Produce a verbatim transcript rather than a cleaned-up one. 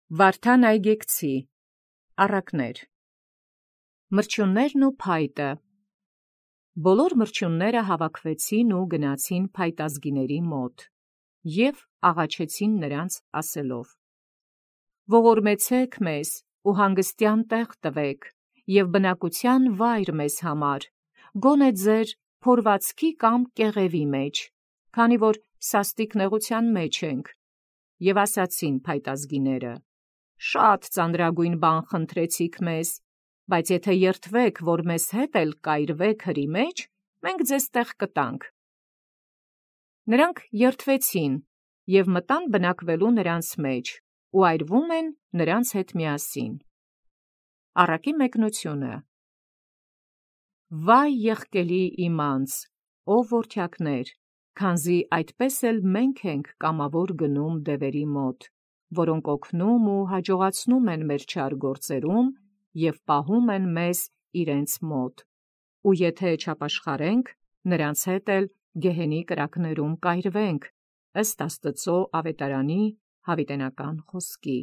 Վարդան այգեկցի, առակներ։ Մրջյուններն ու փայտը։ Բոլոր մրջյունները հավաքվեցին ու գնացին փայտազգիների մոտ և աղաչեցին նրանց ասելով. Ողորմեցեք մեզ ու հանգստյան տեղ տվեք և բնակության վայր մեզ համար, գոնե ձեր փորվածքի կամ կեղևի մեջ, քանի որ սաստիկ նեղության մեջ ենք։ Եվ ասացին փայտազգիները. Շատ ծանրագույն բան խնդրեցիք մեզ, բայց եթե երդվեք, որ մեզ հետ էլ կայրվեք հրի մեջ, մենք ձեզ տեղ կտանք։ Նրանք երդվեցին և մտան բնակվելու նրանց մեջ ու այրվում են նրանց հետ միասին։ Առակի մեկնությունը։ Վայ եղկելի իմանց, ով որդյակներ, քանզի այդպես էլ մենք ենք կամավոր գնում դևերի մոտ, որոնք օգնում ու հաջողացնում են մեր չար գործերում և պահում են մեզ իրենց մոտ, ու եթե չապաշխարենք, նրանց հետ էլ գեհենի կրակներում կայրվենք, ըստ Աստծու ավետարանի հավիտենական խոսքի։